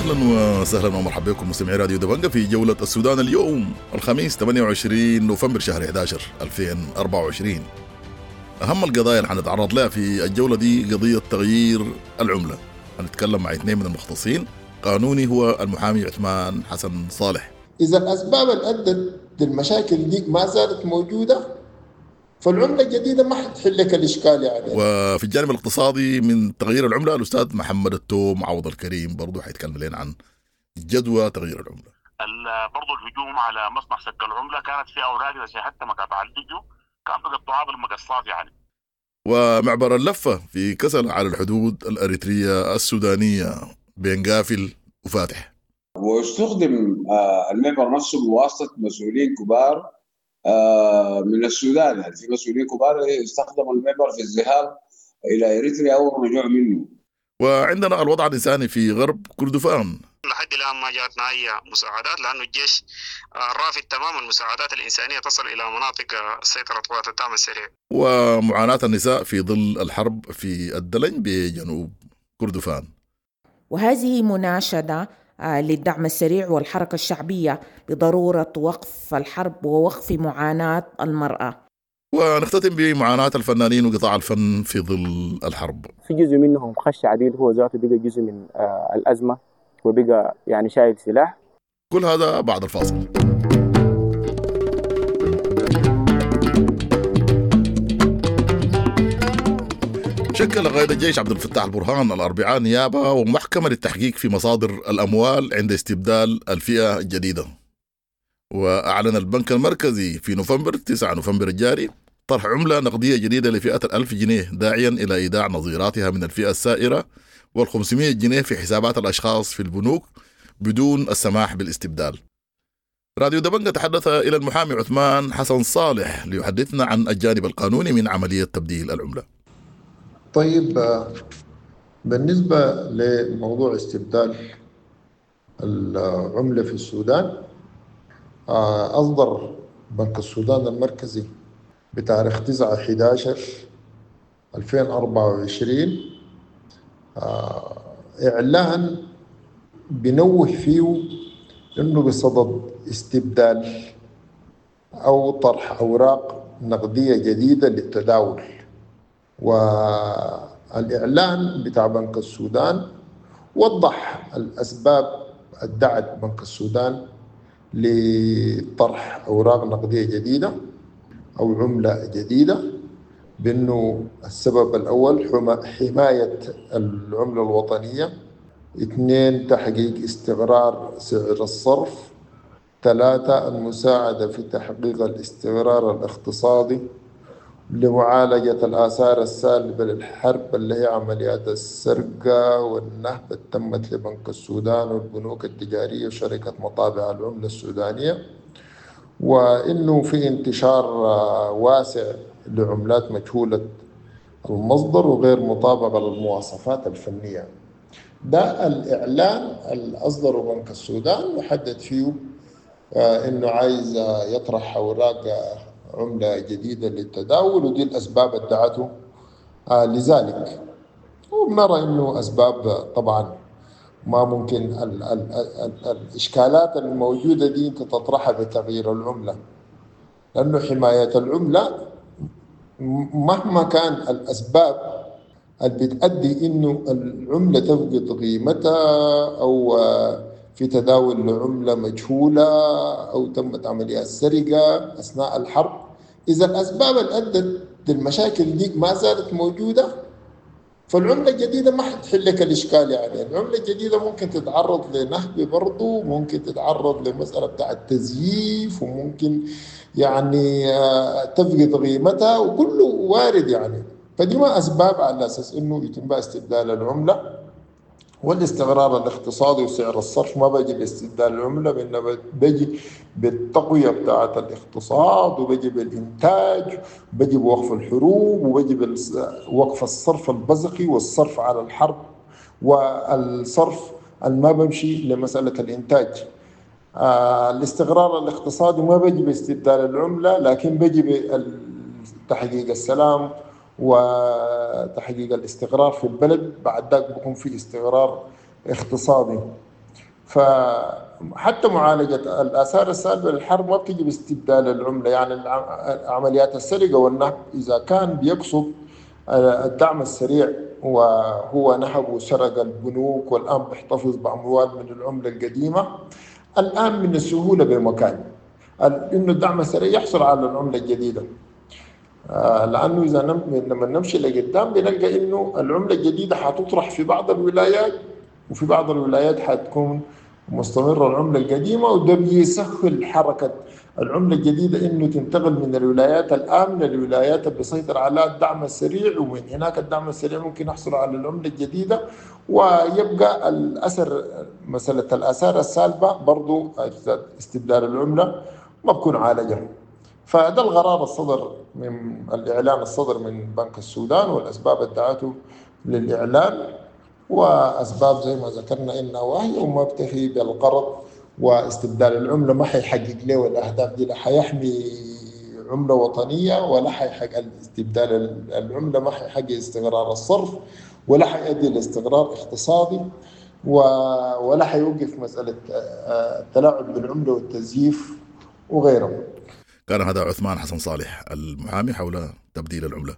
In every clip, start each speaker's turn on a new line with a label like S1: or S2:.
S1: اهلا وسهلا ومرحبا بكم مستمعي راديو دبنجة في جولة السودان اليوم الخميس 28 نوفمبر شهر 11 2024. اهم القضايا اللي حنتعرض لها في الجولة دي قضية تغيير العملة. هنتكلم مع اثنين من المختصين، قانوني هو المحامي عثمان حسن صالح.
S2: إذا الأسباب اللي أدت للمشاكل دي ما زالت موجودة فالعملة الجديدة ما حتحل لك الإشكال يعني.
S1: وفي الجانب الاقتصادي من تغيير العملة الأستاذ محمد التوم عوض الكريم برضه حيتكلم لنا عن جدوى تغيير العملة.
S3: برضه الهجوم على مصنع سك العملة كانت في أوراق إذا شاهدت مقاطع الفيديو كان بيقطعوها بالمقصات يعني.
S1: ومعبر اللفة في كسل على الحدود الأريترية السودانية بين قافل وفاتح.
S4: واستخدم المعبر نفسه بواسطة مسؤولين كبار من السودان، يعني في مسؤولين كبار استخدموا المعبر في الذهاب إلى إريتريا أو الرجوع منه.
S1: وعندنا الوضع الإنساني في غرب كردفان.
S5: لحد الآن ما جاتنا أي مساعدات لأنه الجيش رافض تماما المساعدات الإنسانية تصل إلى مناطق سيطرة قوات الدعم السريع.
S1: ومعاناة النساء في ظل الحرب في الدلنج بجنوب كردفان.
S6: وهذه مناشدة للدعم السريع والحركة الشعبية بضرورة وقف الحرب ووقف معاناة المرأة.
S1: ونختتم بمعاناة الفنانين وقطاع الفن في ظل الحرب.
S7: في جزء منهم خش عديل، هو ذاته بقى جزء من الأزمة وبقى يعني شايل سلاح.
S1: كل هذا بعد الفاصل. شكل قائد الجيش عبد الفتاح البرهان الأربعاء نيابة ومحكمة للتحقيق في مصادر الأموال عند استبدال الفئة الجديدة. وأعلن البنك المركزي في نوفمبر 9 نوفمبر الجاري طرح عملة نقدية جديدة لفئة 1000 جنيه، داعيا إلى إيداع نظيراتها من الفئة السائرة وال500 جنيه في حسابات الأشخاص في البنوك بدون السماح بالاستبدال. راديو دبنجة تحدث إلى المحامي عثمان حسن صالح ليحدثنا عن الجانب القانوني من عملية تبديل العملة.
S2: طيب، بالنسبة لموضوع استبدال العملة في السودان، أصدر بنك السودان المركزي بتاريخ 9/11/2024 إعلان بنوه فيه إنه بصدد استبدال أو طرح أوراق نقدية جديدة للتداول. والإعلان بتاع بنك السودان وضح الأسباب ادعت بنك السودان لطرح أوراق نقدية جديدة أو عملة جديدة، بأنه السبب الأول حماية العملة الوطنية، 2 تحقيق استقرار سعر الصرف، 3 المساعدة في تحقيق الاستقرار الاقتصادي لمعالجة الآثار السالبة للحرب اللي هي عمليات السرقة والنهب اللي تمت لبنك السودان والبنوك التجارية وشركة مطابع العملة السودانية، وإنه في انتشار واسع لعملات مجهولة المصدر وغير مطابقة للمواصفات الفنية. ده الإعلان اللي أصدره بنك السودان وحدد فيه إنه عايز يطرح أوراق عملة جديدة للتداول، ودي الأسباب ادعته لذلك. وبنرى إنه أسباب طبعا ما ممكن ال ال ال الإشكالات الموجودة دي أنت تطرحها بتغيير العملة، لأنه حماية العملة مهما كان الأسباب اللي بتؤدي إنه العملة تفقد قيمتها أو في تداول عملة مجهولة أو تمت عمليات سرقة أثناء الحرب، إذا الأسباب اللي أدت للمشاكل دي ما زالت موجودة فالعملة الجديدة ما حتحل لك الإشكال يعني. العملة الجديدة ممكن تتعرض لنهب برضو، ممكن تتعرض لمسألة بتاع التزييف، وممكن يعني تفقد قيمتها، وكله وارد يعني. فدي ما أسباب على أساس إنه يتم استبدال العملة. والاستقرار الاقتصادي وسعر الصرف ما بيجي باستبدال العملة، بإنما بيجي بالتقوية بتاعة الاقتصاد، وبيجي بالإنتاج، وبيجي بوقف الحروب، وبيجي بوقف الصرف البزقي والصرف على الحرب والصرف ما بمشي لمسألة الإنتاج. الاستقرار الاقتصادي ما بيجي باستبدال العملة، لكن بيجي بتحقيق السلام وتحقيق الاستقرار في البلد، بعد ذاك بيكون في استقرار اقتصادي. فحتى معالجة الآثار السالبة للحرب ما بتجي باستبدال العملة. يعني عمليات السرقة والنهب إذا كان بيقصد الدعم السريع وهو نهب وسرق البنوك والآن بيحتفظ بأموال من العملة القديمة، الآن من السهولة بمكان إنه الدعم السريع يحصل على العملة الجديدة، لأنه إذا لما نمشي لقدام بنلقى إنه العملة الجديدة حتطرح في بعض الولايات، وفي بعض الولايات حتكون مستمرة العملة القديمة، وده بيسهل حركة العملة الجديدة إنه تنتقل من الولايات الآمنة للولايات اللي بيسيطر على الدعم السريع، ومن هناك الدعم السريع ممكن يحصل على العملة الجديدة، ويبقى الأثر مسألة الآثار السالبة برضو استبدال العملة ما بكون عالجة. فده القرار الصدر من الإعلان الصدر من بنك السودان، والأسباب الدعته للإعلان، وأسباب زي ما ذكرنا إنها واهية وما بتفي بالغرض، واستبدال العملة ما حيحقق له الأهداف دي، لا حيحمي عملة وطنية ولا حيحقق استبدال العملة، ما حيحقق استقرار الصرف ولا حيؤدي لاستقرار اقتصادي، ولا حيوقف مسألة التلاعب بالعملة والتزييف وغيره.
S1: كان هذا عثمان حسن صالح المحامي حول تبديل العملة.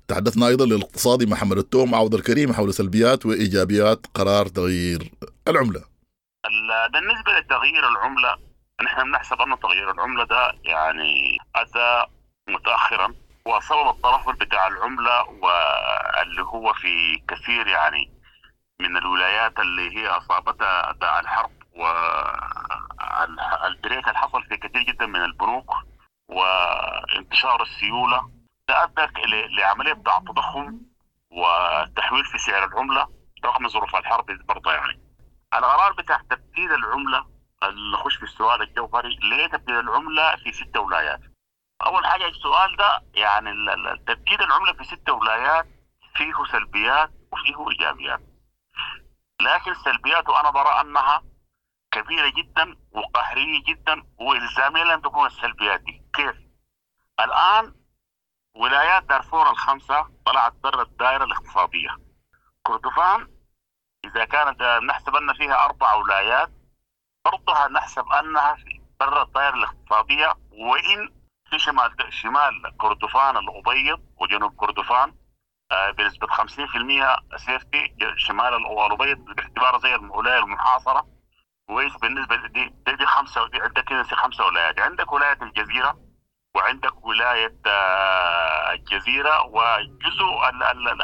S1: تحدثنا أيضا للاقتصادي محمد التوم عوض الكريم حول سلبيات وإيجابيات قرار تغيير العملة.
S3: بالنسبة لتغيير العملة، نحن بنحسب أن تغيير العملة ده يعني أتى متأخرا، وسبب الترهل بتاع العملة واللي هو في كثير يعني من الولايات اللي هي أصابتها داء الحرب والبريك اللي حصل في كثير جدا من البنوك وانتشار السيولة، ده أدى لعملية بتاع التضخم والتحويل في سعر العملة رغم ظروف الحرب برضه. يعني القرار بتاع تبديل العملة، اللي نخش في السؤال الجوهري، ليه تبديل العملة في 6 ولايات؟ أول حاجة السؤال ده يعني تبديل العملة في 6 ولايات فيه سلبيات وفيه إيجابيات، لكن سلبياته أنا برى أنها كبيرة جدا وقهرية جدا وإلزامية لن تكون السلبيات دي. كيف؟ الآن ولايات دارفور ال5 طلعت برا الدائرة الاقتصادية. كردفان إذا كانت نحسب أن فيها 4 ولايات برضها نحسب أنها برا الدائرة الاقتصادية، وإن في شمال كردفان الأبيض وجنوب كردفان بنسبة 50% سيفتي، شمال الأبيض باعتباره زي الولاية المحاصرة. كويس. بالنسبة دي 5، دي عندك كده 5 ولايات، عندك ولاية الجزيرة وعندك ولاية الجزيرة وجزء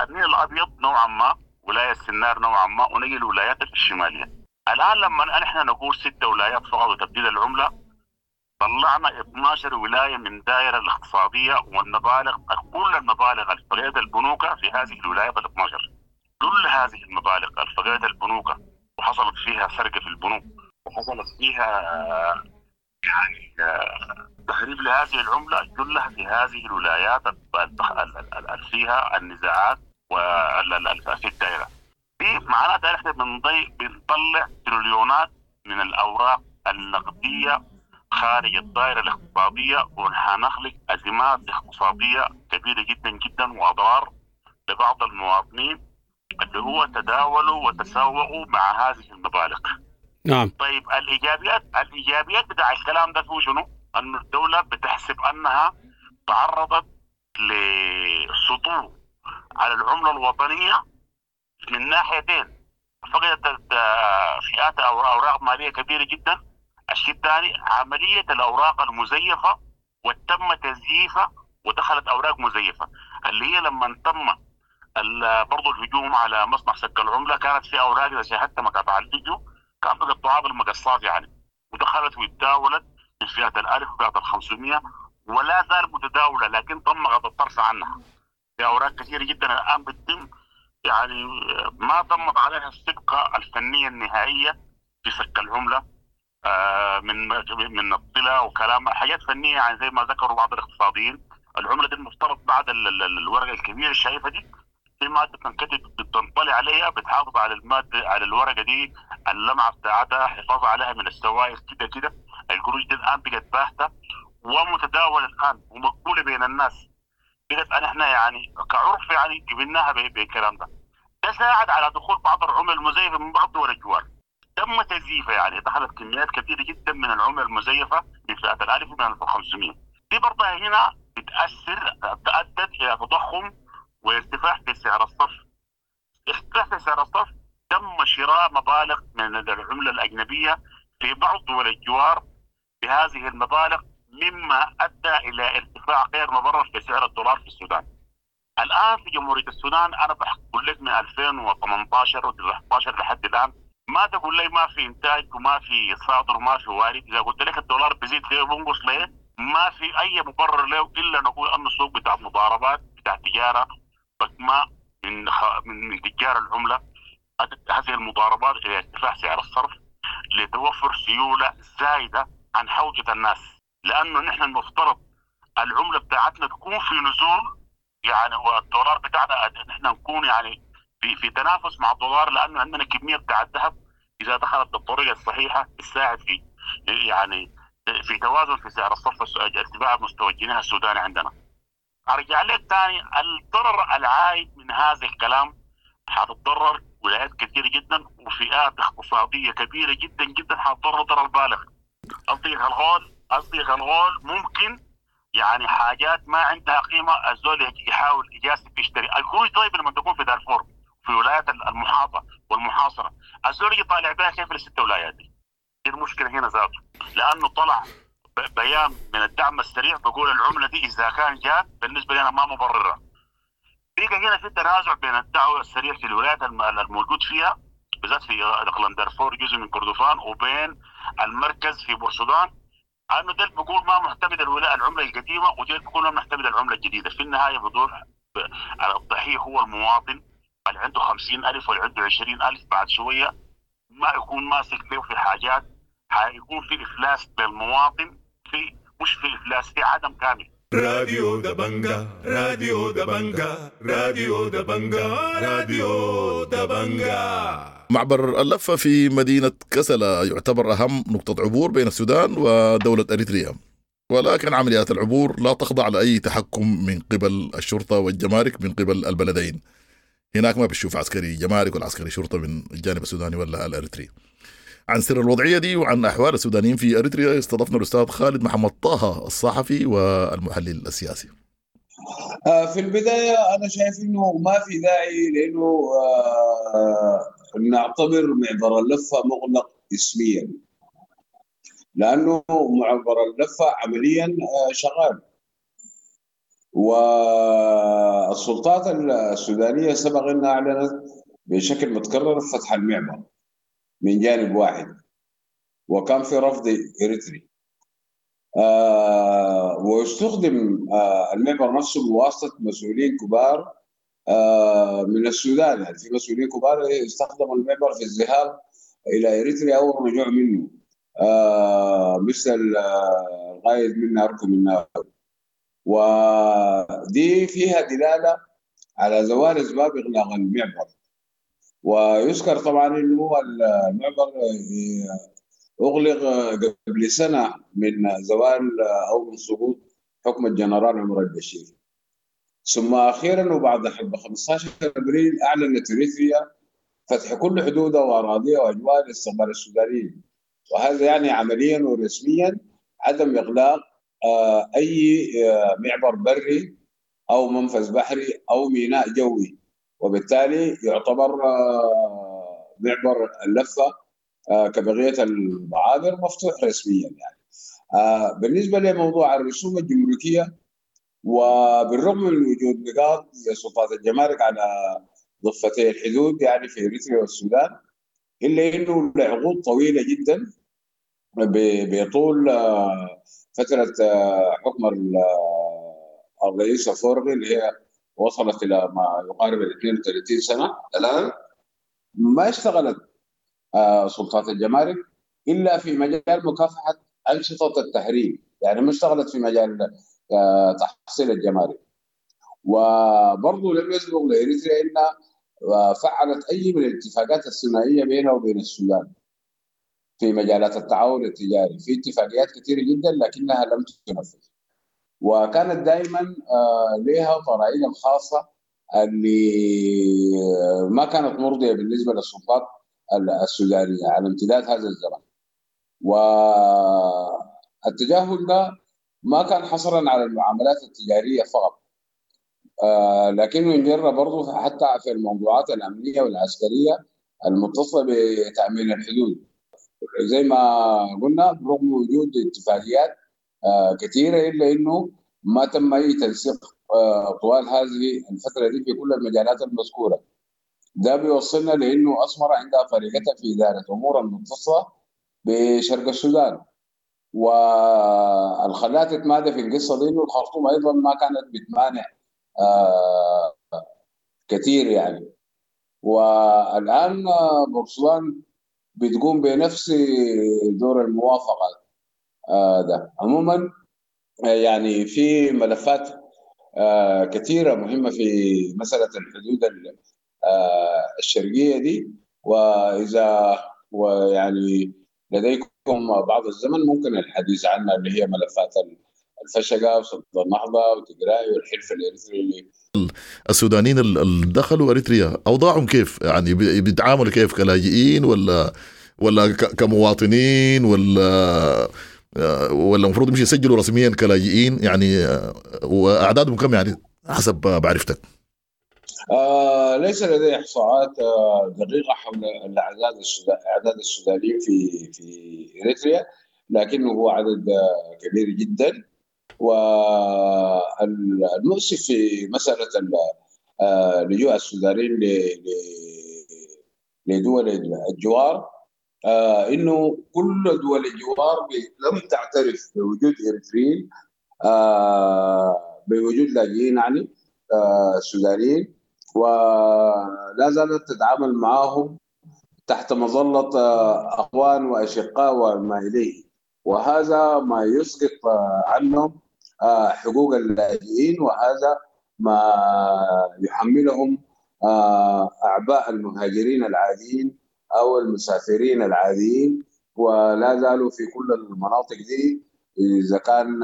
S3: النيل الأبيض نوعا ما، ولاية السنار نوعا ما، ونجي الولايات الشمالية. الآن لما نحن نقول 6 ولايات فقط وتبديل العملة، طلعنا 12 ولاية من دائرة الاقتصادية، والمبالغ كل المبالغ الفقيدة البنوك في هذه الولايات ال12، كل هذه المبالغ الفقيدة البنوك وحصلت فيها سرقة في البنوك وحصلت فيها يعني تهريب لهذه العملة، كلها في هذه الولايات فيها النزاعات في الدائرة دي. معناتها احنا بنطلع تريليونات من الأوراق النقدية خارج الدائرة الاقتصادية، وحنخلق أزمات اقتصادية كبيرة جدا جدا وأضرار لبعض المواطنين اللي هو تداولوا وتسوقوا مع هذه المبالغ.
S8: نعم.
S3: طيب الإيجابيات بتاع الكلام ده هو شنو؟ أن الدولة بتحسب أنها تعرضت لسطو على العملة الوطنية من ناحيتين، فقدت فئات أو أوراق مالية كبيرة جدا. الشيء الثاني عملية الأوراق المزيفة وتم تزييفها ودخلت أوراق مزيفة، اللي هي لما تم برضو الهجوم على مصنع سك العملة كانت في أوراق إذا شاهدت مقاطع الفيديو كان بقطعوها بالمقصات يعني، ودخلت وتداولت في فئة 1000 وفئة 500 ولا زال متداولة، لكن تم غض الطرف عنها. في أوراق كثيرة جدا الآن بتتم يعني ما تمت عليها السبقة الفنية النهائية في سك العملة من الطلة وكلام حاجات فنية، يعني زي ما ذكروا بعض الاقتصاديين العملة دي المفترض بعد الورقة الكبيرة الشايفة دي في مادة تنكتب بتنطلي عليها، بتحافظ على المادة على الورقة دي، اللمعة بتاعتها، حفاظ عليها من السوائل كده كده. القروش دي الآن بقت باهتة ومتداولة الآن ومقبولة بين الناس، بقت احنا يعني كعرف يعني قبلناها بالكلام ده. ده ساعد على دخول بعض العمل المزيفة من بعض دول الجوار. تم تزييفها، يعني دخلت كميات كبيرة جدا من العملة المزيفه من فئة الالف ومن 1500. دي برضه هنا بتاثر، ادت الى تضخم وارتفاع في سعر الصرف. ارتفاع في سعر الصرف، تم شراء مبالغ من العملة الاجنبية في بعض دول الجوار بهذه المبالغ، مما ادى الى ارتفاع غير مبرر في سعر الدولار في السودان. الان في جمهورية السودان انا بقول لك من 2018 و19 لحد الان ما تقول لي ما في انتاج وما في صادر وما في وارد. اذا قلت لك الدولار بيزيد ليه وبنقص ليه، ما في اي مبرر له الا نقول انه السوق بتاع مضاربات، بتاع تجارة بكماء من تجار العملة. ادت هذه المضاربات الى ارتفاع سعر الصرف لتوفر سيولة زايدة عن حوجه الناس، لانه نحن المفترض العملة بتاعتنا تكون في نزول يعني، والدولار بتاعنا نحن نكون يعني في تنافس مع الدولار، لانه عندنا كمية بتاع الذهب اذا دخلت بالطريقة الصحيحة تساعد في يعني في توازن في سعر الصرف، ارتفاع مستوى الجنيه السوداني عندنا. ارجع لك ثاني، الضرر العائد من هذا الكلام حتتضرر ولايات كثيرة جدا وفئات اقتصادية كبيرة جدا جدا، حتضرر ضرر بالغ. قصدي الغول ممكن يعني حاجات ما عندها قيمة الزول يحاول يجازف يشتري القروش. طيب لما تكون في دارفور في ولايات المحاطه والمحاصره، الزول يجي طالع بها كيف للست ولايات دي؟ المشكلة هنا ذاته، لانه طلع بيان من الدعم السريع بيقول العملة دي اذا كان جات بالنسبة لنا ما مبررة. بقى هنا في تنازع بين الدعوة السريع في الولايات الموجود فيها بالذات في اقليم دارفور جزء من كردفان، وبين المركز في بورسودان، انه ده بيقول ما معتمد العملة القديمة، وده بيقول ما معتمد العملة الجديدة. في النهاية بدور الضحية هو المواطن اللي عنده 50,000 واللي عنده 20,000، بعد شوية ما يكون ماسك له في حاجات، حيكون في افلاس للمواطن، في مش في افلاس، في عدم كامل.
S8: راديو دبنجا، راديو دبنجا، راديو دبنجا، راديو دبنجا.
S1: معبر اللفة في مدينة كسلا يعتبر أهم نقطة عبور بين السودان ودولة أريتريا، ولكن عمليات العبور لا تخضع لأي تحكم من قبل الشرطة والجمارك من قبل البلدين. هناك ما بتشوف عسكري جمارك ولا عسكري شرطة من الجانب السوداني ولا الأريتري. عن سر الوضعية دي وعن أحوال السودانيين في أريتريا استضفنا الأستاذ خالد محمد طه الصحفي والمحلل السياسي.
S4: في البداية أنا شايف إنه ما في داعي لأنه نعتبر معبر اللفة مغلق اسميا، لأنه معبر اللفة عمليا شغال، والسلطات السودانية سبق أنها أعلنت بشكل متكرر فتح المعبر من جانب واحد، وكان في رفض إريتري، واستخدم المعبر نفسه بواسطة مسؤولين كبار من السودان. يعني في مسؤولين كبار استخدموا المعبر في الذهاب إلى إريتريا أو الرجوع منه، مثل القائد منا أركو منا، ودي فيها دلالة على زوال أسباب إغلاق المعبر. ويذكر طبعا انه المعبر اغلق قبل سنة من زوال او من سقوط حكم الجنرال عمر البشير، ثم اخيرا وبعد حرب 15 ابريل اعلنت اريتريا فتح كل حدودها واراضيها واجواء لاستقبال السودانيين، وهذا يعني عمليا ورسميا عدم اغلاق اي معبر بري او منفذ بحري او ميناء جوي، وبالتالي يعتبر معبر اللفة كبقية المعابر مفتوح رسميا. يعني بالنسبة لموضوع الرسوم الجمركية، وبالرغم من وجود نقاط لسلطات الجمارك على ضفتي الحدود يعني في اريتريا والسودان، الا انه لعقود طويلة جدا بطول فترة حكم الرئيس أفورقي اللي هي وصلت الى ما يقارب ال 32 سنة الان، ما اشتغلت سلطات الجمارك الا في مجال مكافحة انشطة التهريب، يعني ما اشتغلت في مجال تحصيل الجمارك. وبرضه لم يسبق لاريتريا انها فعلت اي من الاتفاقات الثنائية بينها وبين السودان في مجالات التعاون التجاري، في اتفاقيات كثيرة جدا لكنها لم تنفذ، وكانت دائما لها طرائقها الخاصة اللي ما كانت مرضية بالنسبة للسلطات السودانية على امتداد هذا الزمن. والتجاهل ده ما كان حصرا على المعاملات التجارية فقط، لكنه انجر برضه حتى في الموضوعات الأمنية والعسكرية المتصلة بتأمين الحدود. زي ما قلنا برغم وجود اتفاقيات كثيرة إلا أنه ما تم أي تنسيق طوال هذه الفترة دي في كل المجالات المذكورة. ده بيوصلنا لأنه أسمرة عندها طريقتها في إدارة أمور المتصلة بشرق السودان، والخلات تتمادى في القصة دي إنه الخرطوم أيضا ما كانت بتمانع كثير يعني. والآن بورسودان بتقوم بنفس دور الموافقة ده. عموما يعني في ملفات كثيرة مهمة في مسألة الحدود الشرقية دي، وإذا ويعني لديكم بعض الزمن ممكن الحديث عنها، اللي هي ملفات الفشقة وسد النهضة وتجراي والحلف الإريتري.
S1: السودانيين اللي دخلوا أريتريا أوضاعهم كيف؟ يعني بيتعاملوا كيف، كلاجئين ولا كمواطنين، ولا المفروض يمشي يسجلوا رسميا كلاجئين يعني؟ وأعدادهم كم يعني حسب معرفتك؟
S4: ليس لدي إحصاءات دقيقة حول الأعداد أعداد السودانيين في إريتريا، لكنه هو عدد كبير جدا. والمؤسف في مسألة لجوء السودانيين لدول الجوار إنه كل دول الجوار لم تعترف بوجود إريتريين، بوجود لاجئين يعني سودانيين، ولا زالت تتعامل معهم تحت مظلة أخوان وأشقاء وما إليه، وهذا ما يسقط عنهم حقوق اللاجئين، وهذا ما يحملهم أعباء المهاجرين العاديين أو المسافرين العاديين. ولا زالوا في كل المناطق دي، إذا كان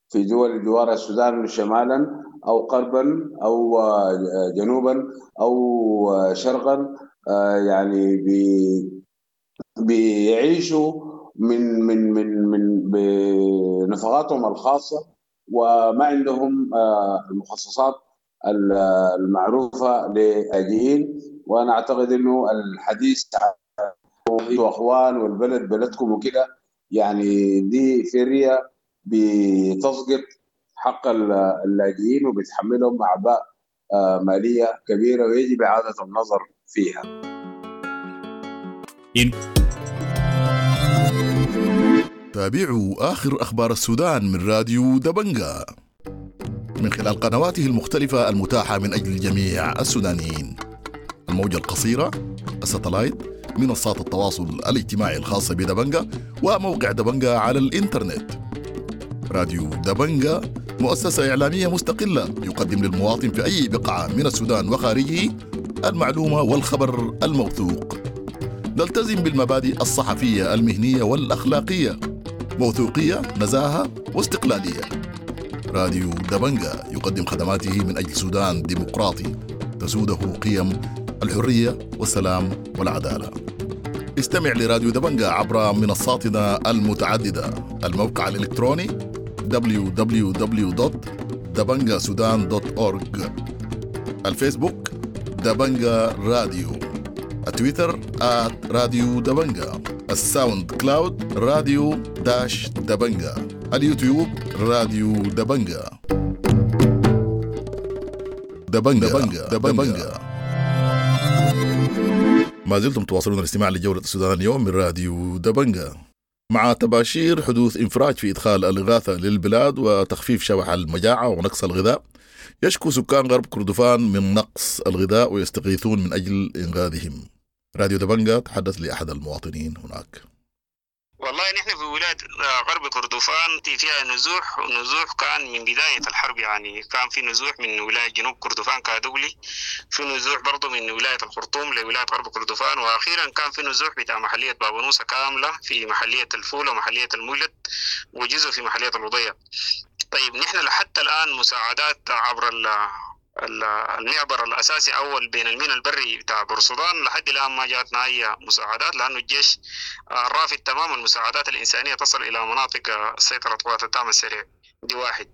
S4: في دول جوار السودان شمالا أو غربا أو جنوبا أو شرقا، يعني بيعيشوا من من من من بنفقاتهم الخاصة، وما عندهم المخصصات المعروفة للاجئين. وأنا أعتقد إنه الحديث عن أخوان والبلد بلدكم وكده، يعني دي فرية بتسقط حق اللاجئين وبتحملهم أعباء مالية كبيرة، ويجب إعادة النظر فيها.
S1: تابعوا آخر أخبار السودان من راديو دبنجا من خلال قنواته المختلفة المتاحة من أجل جميع السودانيين، الموجة القصيرة، الستلايت، منصات التواصل الاجتماعي الخاصة بدبنجا، وموقع دبنجا على الإنترنت. راديو دبنجا مؤسسة إعلامية مستقلة يقدم للمواطن في أي بقعة من السودان وخارجه المعلومة والخبر الموثوق. نلتزم بالمبادئ الصحفية المهنية والأخلاقية، موثوقية، نزاهة واستقلالية. راديو دبنجا يقدم خدماته من أجل سودان ديمقراطي تسوده قيم الحرية والسلام والعدالة. استمع لراديو دبنجا عبر منصاتنا المتعددة: الموقع الإلكتروني www.dabangasudan.org، الفيسبوك دبنجا راديو، التويتر @راديو دبنجا، الساوند كلاود راديو dash دبنجا، اليوتيوب راديو دبنجا. دبنجا دبنجا دبنجا. ما زلتم تواصلون الاستماع لجولة السودان اليوم من راديو دبنجا. مع تباشير حدوث انفراج في إدخال الإغاثة للبلاد وتخفيف شبح المجاعة ونقص الغذاء، يشكو سكان غرب كردفان من نقص الغذاء ويستغيثون من أجل إنقاذهم. راديو دبنجا تحدث لأحد المواطنين هناك.
S5: والله نحن في ولاية غرب كردفان فيها نزوح، ونزوح كان من بداية الحرب، يعني كان في نزوح من ولاية جنوب كردفان كادوغلي، في نزوح برضو من ولاية الخرطوم لولاية غرب كردفان، وأخيرا كان في نزوح بتاع محلية بابونوسة كاملة في محلية الفولة ومحلية المولد وجزء في محلية الوضية. طيب نحن لحتى الآن مساعدات عبر المعبر الاساسي اول بين الميناء البري بتاع بورسودان لحد الان ما جاتنا اي مساعدات، لانه الجيش رافض تماما المساعدات الانسانية تصل الى مناطق سيطرة قوات الدعم السريع. دي واحد.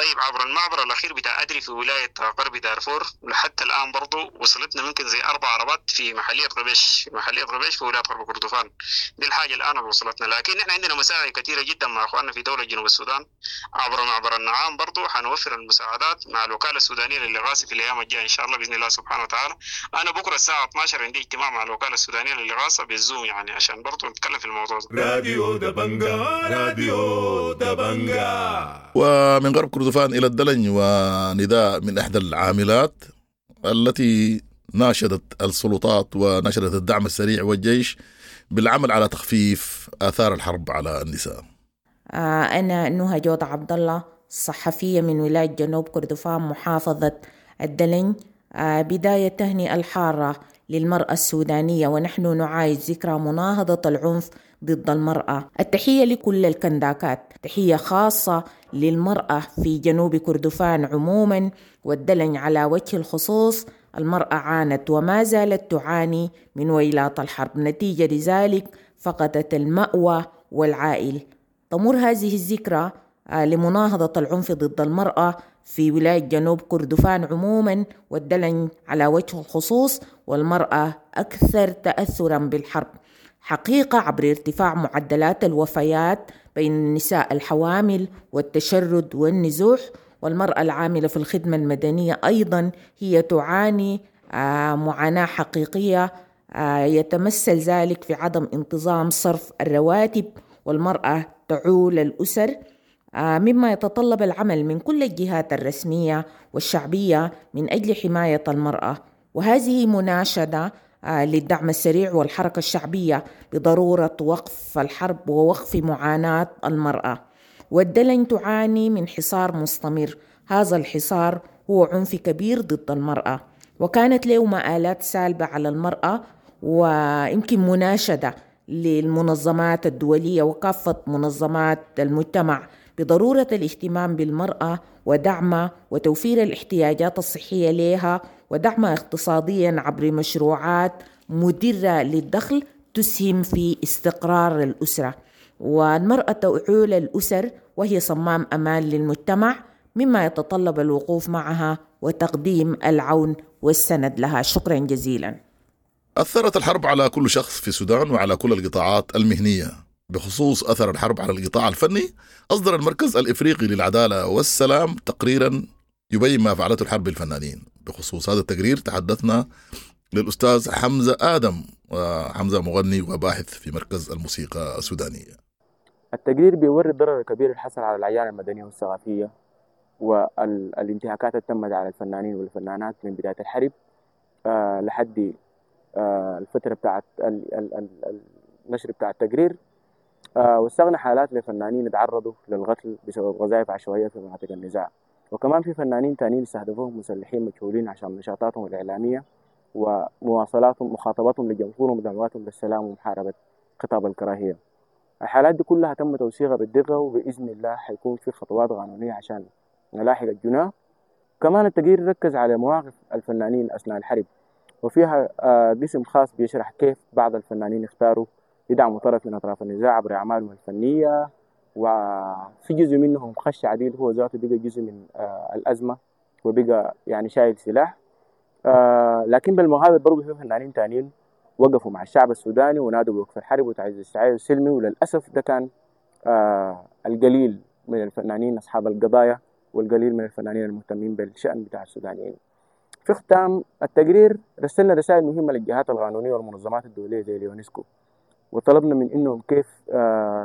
S5: طيب عبر المعبر الاخير بتاع ادري في ولاية غرب دارفور لحتى الان برضو وصلتنا ممكن زي 4 عربات في محليه غبيش، محليه غبيش في ولاية غرب كردفان. دي الحاجة الان اللي وصلتنا، لكن احنا عندنا مساعي كثيرة جدا مع اخواننا في دولة جنوب السودان عبر معبر النعام، برضو حنوفر المساعدات مع الوكالة السودانية للاغاثة في الايام الجاية ان شاء الله باذن الله سبحانه وتعالى. انا بكره الساعة 12 عندي اجتماع مع الوكالة السودانية للاغاثة بالزوم، يعني عشان برضو نتكلم في الموضوع ده.
S8: راديو دبنجا، راديو دبنجا.
S1: ومن غرب كردفان إلى الدلنج، ونداء من إحدى العاملات التي ناشدت السلطات وناشدت الدعم السريع والجيش بالعمل على تخفيف آثار الحرب على النساء.
S6: أنا نهى جود عبد الله، صحفية من ولاية جنوب كردفان محافظة الدلنج. بداية تهنئة الحارة للمرأة السودانية، ونحن نعايش ذكرى مناهضة العنف ضد المرأة. التحية لكل الكنداكات، تحية خاصة للمرأة في جنوب كردفان عموما والدلنج على وجه الخصوص. المرأة عانت وما زالت تعاني من ويلات الحرب، نتيجة لذلك فقدت المأوى والعائل. تمر هذه الذكرى لمناهضة العنف ضد المرأة في ولاية جنوب كردفان عموما والدلنج على وجه الخصوص، والمرأة أكثر تأثرا بالحرب حقيقة عبر ارتفاع معدلات الوفيات بين النساء الحوامل والتشرد والنزوح. والمرأة العاملة في الخدمة المدنية أيضا هي تعاني معاناة حقيقية، يتمثل ذلك في عدم انتظام صرف الرواتب، والمرأة تعول الأسر، مما يتطلب العمل من كل الجهات الرسمية والشعبية من أجل حماية المرأة. وهذه مناشدة للدعم السريع والحركة الشعبية بضرورة وقف الحرب ووقف معاناة المرأة. والدلنج تعاني من حصار مستمر، هذا الحصار هو عنف كبير ضد المرأة، وكانت له مآلات سالبة على المرأة، ويمكن مناشدة للمنظمات الدولية وكافة منظمات المجتمع بضرورة الاهتمام بالمرأة ودعمها وتوفير الاحتياجات الصحية لها ودعمها اقتصاديا عبر مشروعات مدرة للدخل تسهم في استقرار الأسرة. والمرأة تعول الأسر وهي صمام أمان للمجتمع، مما يتطلب الوقوف معها وتقديم العون والسند لها. شكرا جزيلا.
S1: أثرت الحرب على كل شخص في السودان وعلى كل القطاعات المهنية. بخصوص أثر الحرب على القطاع الفني، أصدر المركز الإفريقي للعدالة والسلام تقريرا يبين ما فعلته الحرب بالفنانين. بخصوص هذا التقرير تحدثنا للأستاذ حمزة آدم، وحمزة مغني وباحث في مركز الموسيقى السودانية.
S7: التقرير بيوري الضرر الكبير اللي حصل على الأعيان المدنية والثقافية والانتهاكات اللي تمت على الفنانين والفنانات من بداية الحرب لحد الفترة بتاعت النشر بتاع التقرير. واستغنى حالات لفنانين تعرضوا للقتل بسبب غزائف عشوائية في مناطق النزاع، وكمان في فنانين تانيين استهدفوهم مسلحين مجهولين عشان نشاطاتهم الإعلامية ومواصلاتهم مخاطبتهم لجمهورهم ودعواتهم للسلام ومحاربة خطاب الكراهية. الحالات دي كلها تم توثيقها بالدقة، وبإذن الله حيكون في خطوات قانونية عشان نلاحق الجناه. كمان التقرير ركز على مواقف الفنانين أثناء الحرب، وفيها قسم خاص بيشرح كيف بعض الفنانين اختاروا يدعموا طرف من أطراف النزاع عبر أعمالهم الفنية، وفي جزء منهم خش عديل هو ذاته بقى جزء من الأزمة وبقى يعني شايل سلاح. لكن بالمقابل برضه في فنانين تانيين وقفوا مع الشعب السوداني ونادوا بوقف الحرب وتعزيز التعايش السلمي، وللأسف ده كان القليل من الفنانين أصحاب القضايا والقليل من الفنانين المهتمين بالشأن بتاع السودانيين. في ختام التقرير رسلنا رسائل مهمة للجهات القانونية والمنظمات الدولية زي اليونسكو، وطلبنا من إنهم كيف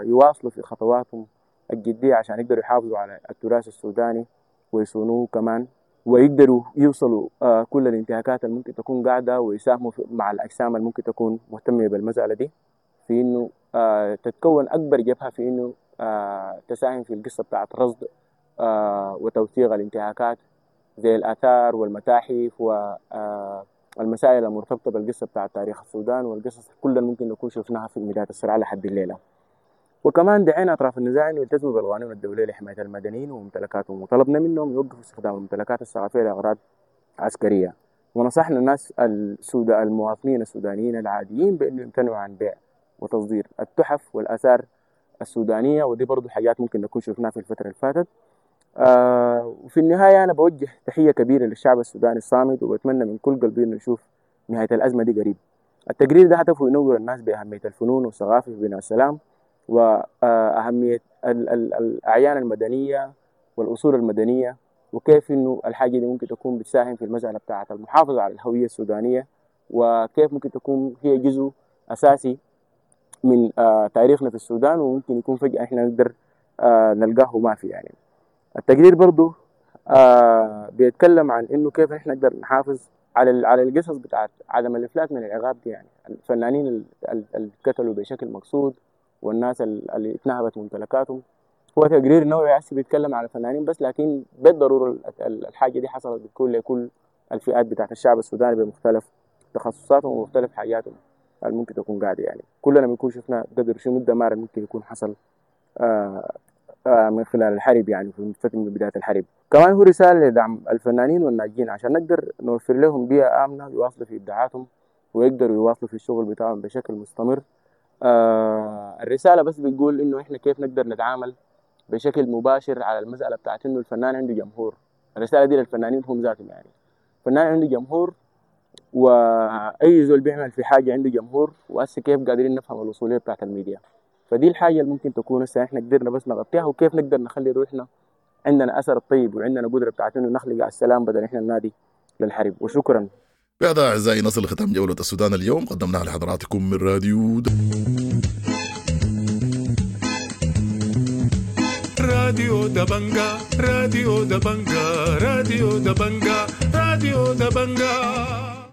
S7: يواصلوا في خطواتهم الجدية عشان يقدروا يحافظوا على التراث السوداني ويصونوه كمان، ويقدروا يوصلوا كل الانتهاكات اللي ممكن تكون قاعدة، ويساهموا مع الأجسام اللي ممكن تكون مهتمة بالمسألة دي في إنه تتكون أكبر جبهة في إنه تساهم في القصة بتاعت رصد وتوثيق الانتهاكات زي الآثار والمتاحف والمسائل المرتبطة بالقصة بتاعت تاريخ السودان والقصص كلها ممكن نكون شفناها في بداية الصراع لحد الليلة. وكمان دعينا أطراف النزاع إنه يلتزموا بالقوانين الدولية لحماية المدنيين وممتلكاتهم، وطلبنا منهم يوقفوا استخدام الممتلكات الثقافية لأغراض عسكرية. ونصحنا الناس المواطنين السودانيين العاديين بأنه يمتنعوا عن بيع وتصدير التحف والآثار السودانية، ودي برضو حاجات ممكن نكون شفناها في الفترة اللي فاتت. وفي النهاية أنا بوجه تحية كبيرة للشعب السوداني الصامد، وبتمنى من كل قلبي إنه نشوف نهاية الأزمة دي قريب. التقرير ده هدفه ينور الناس بأهمية الفنون والثقافة في بناء السلام، وأهمية الأعيان المدنية والأصول المدنية، وكيف إنه الحاجة دي ممكن تكون بتساهم في المسألة بتاعة المحافظة على الهوية السودانية، وكيف ممكن تكون هي جزء أساسي من تاريخنا في السودان، وممكن يكون فجأة إحنا نقدر نلقاه ما في يعني. التقرير برضو بيتكلم عن إنه كيف إحنا نقدر نحافظ على القصص بتاعت عدم الإفلات من العقاب دي، يعني الفنانين اللي قتلوا بشكل مقصود والناس اللي اتنهبت ممتلكاتهم. هو تقرير نوعي هسه بيتكلم على الفنانين بس، لكن بالضرورة الحاجة دي حصلت بتكون لكل الفئات بتاعت الشعب السوداني بمختلف تخصصاتهم ومختلف حاجاتهم اللي ممكن تكون قاعدة. يعني كلنا بنكون شفنا قدر شنو الدمار اللي ممكن يكون حصل من خلال الحرب، يعني في فترة من بداية الحرب. كمان هو رسالة لدعم الفنانين والناجين عشان نقدر نوفر لهم بيئة آمنة يواصلوا في إبداعاتهم ويقدروا يواصلوا في الشغل بتاعهم بشكل مستمر. الرسالة بس بتقول إنه إحنا كيف نقدر نتعامل بشكل مباشر على المسألة بتاعت إنه الفنان عنده جمهور. الرسالة دي للفنانين هم ذاتهم، يعني الفنان عنده جمهور، وأي زول بيعمل في حاجة عنده جمهور، وهسه كيف قادرين نفهم الوصولية بتاعت الميديا. فدي الحاجة اللي ممكن تكون هسه إحنا قدرنا بس نغطيها، وكيف نقدر نخلي روحنا عندنا أثر الطيب وعندنا قدرة بتاعت إنه نخلق على السلام بدل إحنا ننادي للحرب. وشكرا.
S1: بهذا أعزائي نصل لختام جولة السودان اليوم، قدمناها لحضراتكم من راديو
S8: راديو دبنجا، راديو دبنجا، راديو دبنجا، راديو دبنجا.